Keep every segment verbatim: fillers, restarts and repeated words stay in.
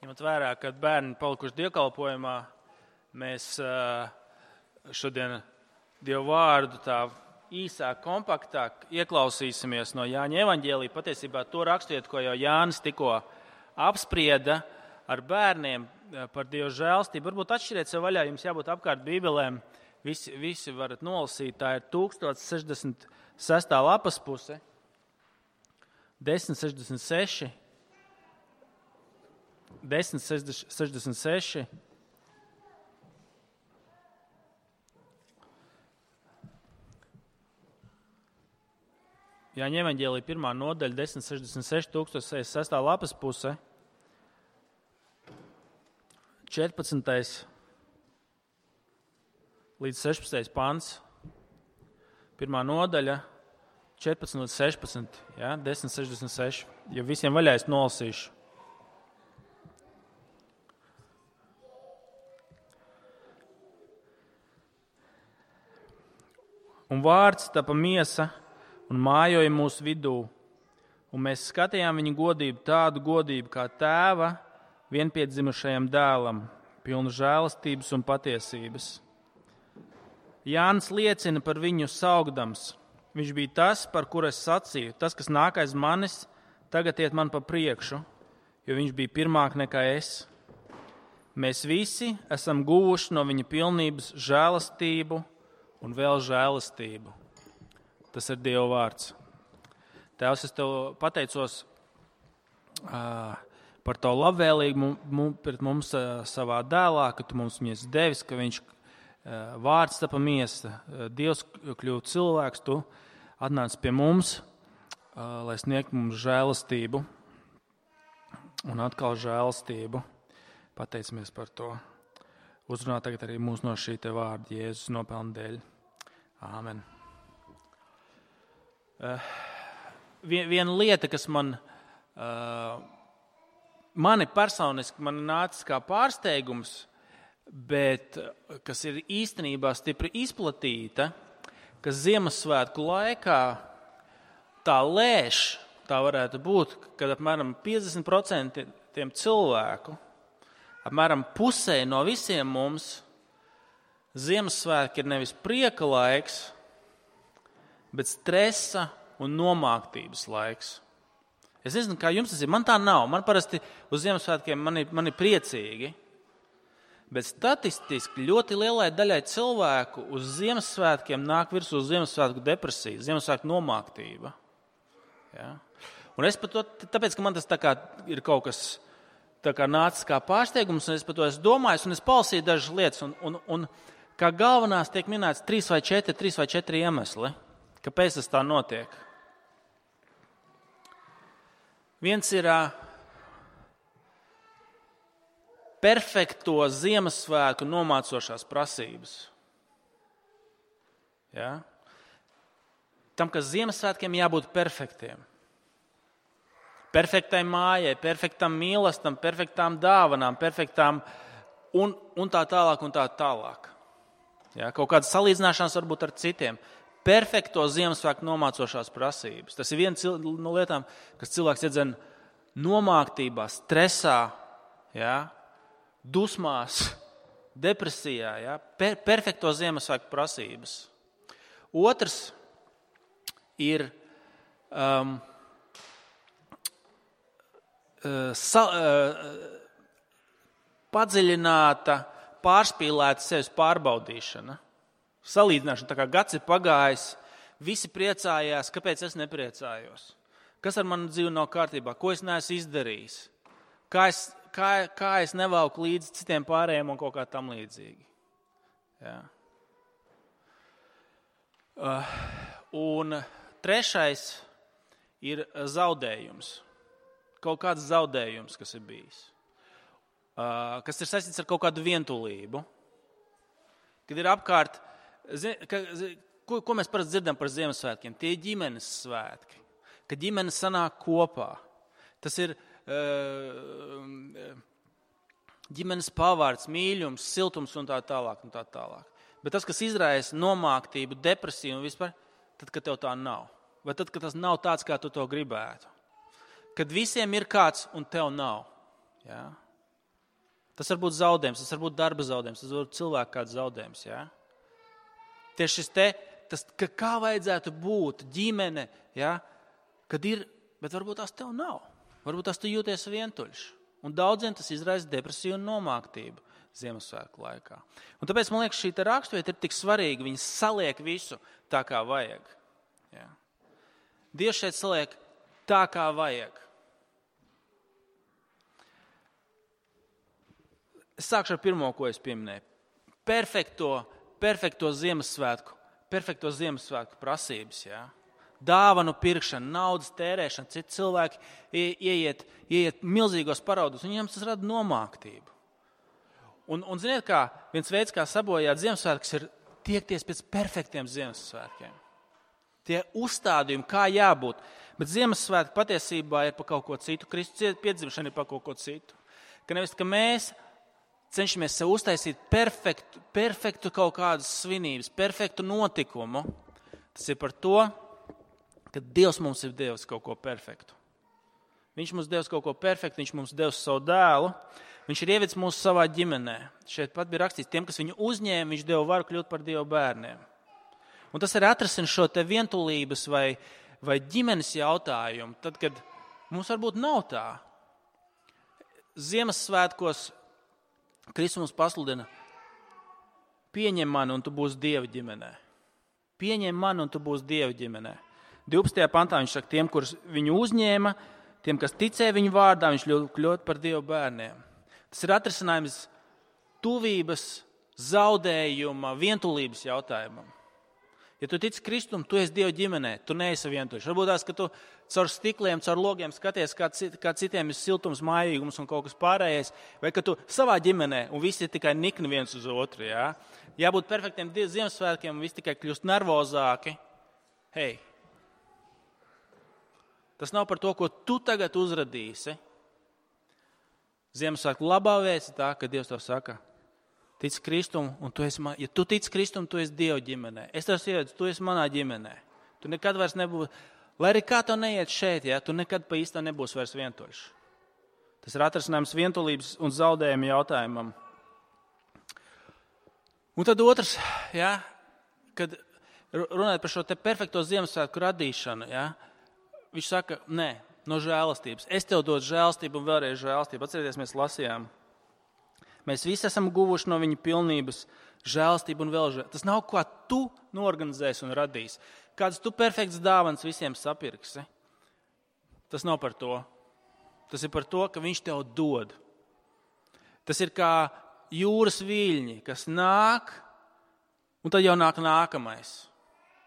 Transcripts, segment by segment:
Ņemot vērā, kad bērni palikuši dievkalpojumā, mēs šodien Dievu vārdu tā īsāk, kompaktāk ieklausīsimies no Jāņa evaņģēlija. Patiesībā to raksturiet, ko jau Jānis tikko apsprieda ar bērniem par Dieva žēlstību. Varbūt atšķiriet sev vaļā, jums jābūt apkārt bībelēm. Visi, visi varat nolasīt, tā ir tūkstoš sešdesmit sestā lapas puse, desmit sešdesmit seši, desmit sešdesmit seši, Jāņa evaņģēlija pirmā nodaļa, desmit sešdesmit seši, tūkstoš sešdesmit sestā lapas puse, četrpadsmitais līdz sešpadsmitais pants, pirmā nodaļa, četrpadsmit līdz sešpadsmit, ja, desmit sešdesmit seši, ja visiem vaļā es nolasīšu. Un vārds tapa miesa un mājoja mūsu vidū, un mēs skatījām viņa godību, tādu godību kā tēva vienpiedzimušajam dēlam, pilnu žēlastības un patiesības. Jānis liecina par viņu saukdams. Viņš bija tas, par kuru es sacīju, tas, kas nāk aiz manis, tagad iet man pa priekšu, jo viņš bija pirmāk nekā es. Mēs visi esam guvuši no viņa pilnības žēlastību un vēl žēlastību. Tas ir Dieva vārds. Tēvs, es tev pateicos uh, par to labvēlību pret mums uh, savā dēlā, ka tu mums viņus devis, ka viņš uh, vārds tapa miesa, uh, Dievs kļūst cilvēks, tu atnāc pie mums, uh, lai sniegtu mums žēlastību un atkal žēlastību. Pateicamies par to. Uzrunā tagad arī mūs no šī te vārda Jēzus nopelna dēļ. Āmen. Uh, viena lieta, kas man, uh, mani personiski man nācis kā pārsteigums, bet kas ir īstenībā stipri izplatīta, ka Ziemassvētku laikā tā lēš, tā varētu būt, kad apmēram piecdesmit procenti tiem cilvēku, apmēram pusē no visiem mums, Ziemassvētki ir nevis prieka laiks, bet stresa un nomāktības laiks. Es nezinu, kā jums tas ir. Man tā nav. Man parasti uz Ziemassvētkiem man ir, man ir priecīgi. Bet statistiski ļoti lielai daļai cilvēku uz Ziemassvētkiem nāk virsū uz Ziemassvētku depresija, Ziemassvētku nomāktība. Ja? Un es par to, tāpēc, ka man tas tā kā ir kaut kas tā kā nācis kā pārsteigums, un es par to esmu domājis, un es palasīju dažas lietas, un, un, un kā galvenās tiek minēts trīs vai četri, trīs vai četri iemesli. Kāpēc tas tā notiek? Viens ir uh, perfekto Ziemassvētku nomācošās prasības. Ja? Tam, ka Ziemassvētkiem jābūt perfektiem. Perfektai mājai, perfektam mīlestam, perfektām dāvanām, perfektām un, un tā tālāk un tā tālāk. Ja? Kaut kādas salīdzināšanas varbūt ar citiem. Perfekto Ziemassvētku nomācošās prasības. Tas ir viena no lietām, kas cilvēks iedzen nomāktībā, stresā, ja, dusmās, depresijā. Ja, per, perfekto Ziemassvētku prasības. Otrs ir um, sa, uh, padziļināta, pārspīlēta sevis pārbaudīšana. Salīdzināšana, tā kā gads ir pagājis, visi priecājās, kāpēc es nepriecājos? Kas ar manu dzīvi nav kārtībā? Ko es neesmu izdarījis? Kā es, kā, kā es nevalku līdz citiem pārējiem un kaut kā tam līdzīgi? Ja. Uh, un trešais ir zaudējums. Kaut kāds zaudējums, kas ir bijis. Uh, kas ir saistīts ar kaut kādu vientulību. Kad ir apkārt Ko, ko mēs parasti dzirdam par Ziemassvētkiem? Tie ir ģimenes svētki, kad ģimenes sanāk kopā. Tas ir uh, ģimenes pavārds, mīļums, siltums un tā tālāk. Un tā tālāk. Bet tas, kas izraisa nomāktību, depresiju un vispār, tad, kad tev tā nav. Vai tad, kad tas nav tāds, kā tu to gribētu. Kad visiem ir kāds un tev nav. Ja? Tas var būt zaudējums, tas var būt darba zaudējums, tas var būt cilvēka kāds zaudējums. Ja? Tieši šis te, tas, ka kā vajadzētu būt ģimene, ja? Kad ir, bet varbūt tās tev nav. Varbūt tās tu jūties vientuļš. Un daudziem tas izraisa depresiju un nomāktību Ziemassvētku laikā. Un tāpēc, man liekas, šī raksturvieta ir tik svarīga. Viņa saliek visu tā, kā vajag. Ja? Dievs šeit saliek tā, kā vajag. Es sākšu ar pirmo, ko es pieminēju. Perfekto, perfekto Ziemassvētku, perfekto Ziemassvētku prasības, jā. Dāvanu pirkšana, naudas tērēšana, citi cilvēki ieiet, ieiet milzīgos paraudos, un viņiem tas rada nomāktību. Un, un ziniet kā, viens veids, kā sabojāt Ziemassvētkus, ir tiekties pēc perfektiem Ziemassvētkiem. Tie uzstādījumi, kā jābūt. Bet Ziemassvētki patiesībā ir par kaut ko citu. Kristus piedzimšana ir par kaut ko citu. Ka nevis, ka mēs cenšamies sev uztaisīt perfektu, perfektu kaut kādas svinības, perfektu notikumu. Tas ir par to, ka Dievs mums ir devis kaut ko perfektu. Viņš mums devis kaut ko perfektu, viņš mums devis savu dēlu, viņš ir ievicis mūsu savā ģimenē. Šeit pat bija rakstīts, tiem, kas viņu uzņēma, viņš deva varu kļūt par Dieva bērniem. Un tas ir atrasina šo te vientulības vai, vai ģimenes jautājumu, tad, kad mums varbūt nav tā. Ziemassvētkos Kristus mums pasludina, pieņem mani un tu būsi Dieva ģimenē. Pieņem mani un tu būsi Dieva ģimenē. divpadsmitajā pantā viņš saka, tiem, kurus viņu uzņēma, tiem, kas ticēja viņu vārdā, viņš kļūt par Dieva bērniem. Tas ir atrisinājums tuvības, zaudējuma, vientulības jautājumam. Ja tu tici Kristum, tu esi Dieva ģimenē, tu neesi vientuļš. Varbūt tās, ka tu caur stikliem, caur logiem skaties, kā, cit, kā citiem ir siltums, mājīgums un kaut kas pārējais, vai ka tu savā ģimenē un visi ir tikai nikni viens uz otru. Jā? Jābūt perfektiem Ziemassvētkiem un visi tikai kļūst nervozāki. Hei, tas nav par to, ko tu tagad uzradīsi. Ziemassvētku labā vēsts ir tā, ka Dievs tev saka, tic Kristum, un tu esi, man, ja tu tic Kristum, tu esi Dieva ģimenē. Es tev ievedu, tu esi manā ģimenē. Tu nekad vairs nebūsi, lai arī kā tev neiet šeit, ja, tu nekad pa īstā nebūsi vairs vientuļš. Tas ir atrasinājums vientulības un zaudējuma jautājumam. Un tad otrs, ja, kad runājot par šo te perfekto Ziemassvētku radīšanu, ja, viņš saka, nē, no žēlastības. Es tev dodu žēlastību un vēlreiz žēlastību. Atcerieties, mēs lasījām. Mēs visi esam guvuši no viņa pilnības žēlastību un vēl žēlastību. Tas nav, ko tu norganizēsi un radīsi. Kāds tu perfekts dāvans visiem sapirksi. Tas nav par to. Tas ir par to, ka viņš tev dod. Tas ir kā jūras viļņi, kas nāk, un tad jau nāk nākamais.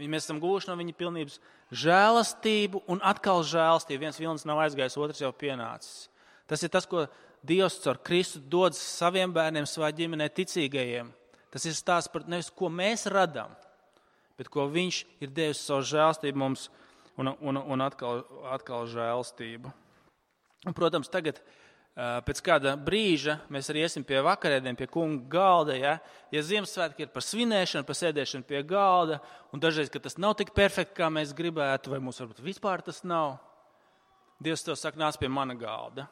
Mēs esam guvuši no viņa pilnības žēlastību un atkal žēlastību. Viens vilnis nav aizgājis, otrs jau pienācis. Tas ir tas, ko Dievs caur Kristu dod saviem bērniem, savā ģimenē ticīgajiem. Tas ir stāsts par nevis, ko mēs radām, bet ko viņš ir devis savu žēlastību mums un, un, un atkal, atkal žēlastību. Un, protams, tagad pēc kāda brīža mēs arī iesim pie vakarēdiem, pie kunga galda. Ja, ja Ziemassvētki ir par svinēšanu, par sēdēšanu pie galda, un dažreiz, ka tas nav tik perfekti, kā mēs gribētu, vai mums varbūt vispār tas nav, Dievs tev saka, nāc pie mana galda.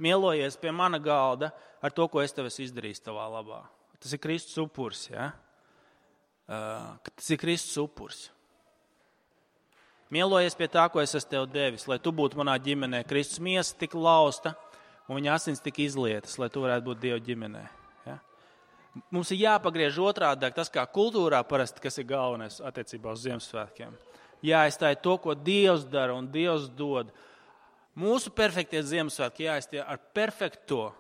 Mielojies pie mana galda ar to, ko es tev esmu izdarījis tavā labā. Tas ir Kristus upurs, ja? Uh, tas ir Kristus upurs. Mielojies pie tā, ko es esmu tev devis, lai tu būtu manā ģimenē. Kristus miesa tika lausta un viņa asins tika izlietas, lai tu varētu būt Dieva ģimenē. Ja? Mums ir jāpagriež otrādāk tas, kā kultūrā parasti, kas ir galvenais attiecībā uz Ziemassvētkiem. Jāaizstāj to, ko Dievs dara un Dievs dod. Mūsu perfektie Ziemassvētki jāaizstāj ar perfekto,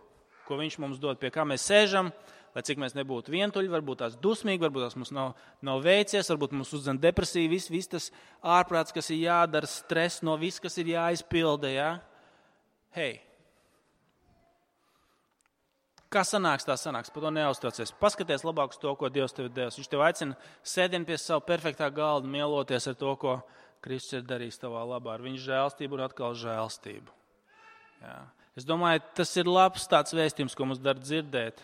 ko viņš mums dod, pie kā mēs sēžam, lai cik mēs nebūtu vientuļi, varbūt tās dusmīgi, varbūt tās mums nav, nav veicies, varbūt mums uzdzen depresija, viss vis tas ārprāts, kas ir jādara, stress no viss, kas ir jāizpilda. Ja? Hei, kā sanāks, tā sanāks, par to neuztraucies. Paskaties labāk uz to, ko Dievs tev devis. Viņš tev aicina sēdien pie savu perfektā galda, mieloties ar to, ko Kristus ir darījis tavā labā, ar viņa žēlstību un atkal žēlstību. Jā. Es domāju, tas ir labs tāds vēstījums, ko mums dar dzirdēt,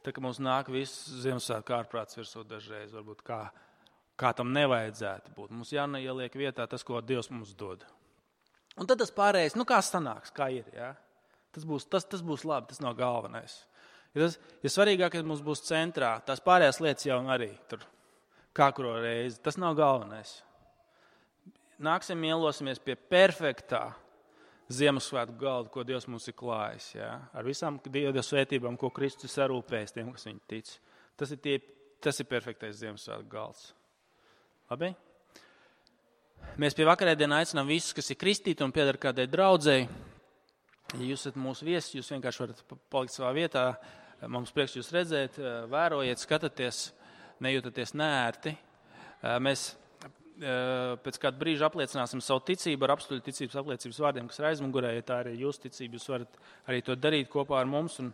tā ka mums nāk viss Ziemassvētku ārprāts virsū dažreiz, varbūt kā, kā tam nevajadzētu būt. Mums jāneieliek vietā tas, ko Dievs mums dod. Un tad tas pārējais, nu kā sanāks, kā ir, jā? Tas būs, tas, tas būs labi, tas nav galvenais. Ja tas ir ja svarīgākais, mums būs centrā. Tās pārējās lietas jau arī tur kā kuro reizi. Tas nav galvenais. Nāksim mielosimies pie perfektā Ziemassvētku galda, ko Dievs mums ir klājis. Ja? Ar visām Dieva svētībām, ko Kristus sarūpējas tiem, kas viņu tic. Tas ir, tie, tas ir perfektais Ziemassvētku galds. Labi? Mēs pie vakarēdienā aicinām visus, kas ir kristīti un pieder kādai draudzei. Ja jūs esat mūsu viesi, jūs vienkārši varat palikt savā vietā. Mums prieks jūs redzēt, vērojiet, skatāties, nejūtaties neērti. Mēs pēc kāda brīža apliecināsim savu ticību ar apstuļu ticības apliecības vārdiem, kas ir aizmugurē. Ja tā arī ir jūsu ticība, jūs varat arī to darīt kopā ar mums. Un,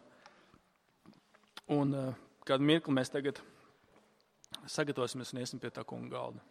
un kādu mirkli mēs tagad sagatavosimies un iesim pie tā kunga galda.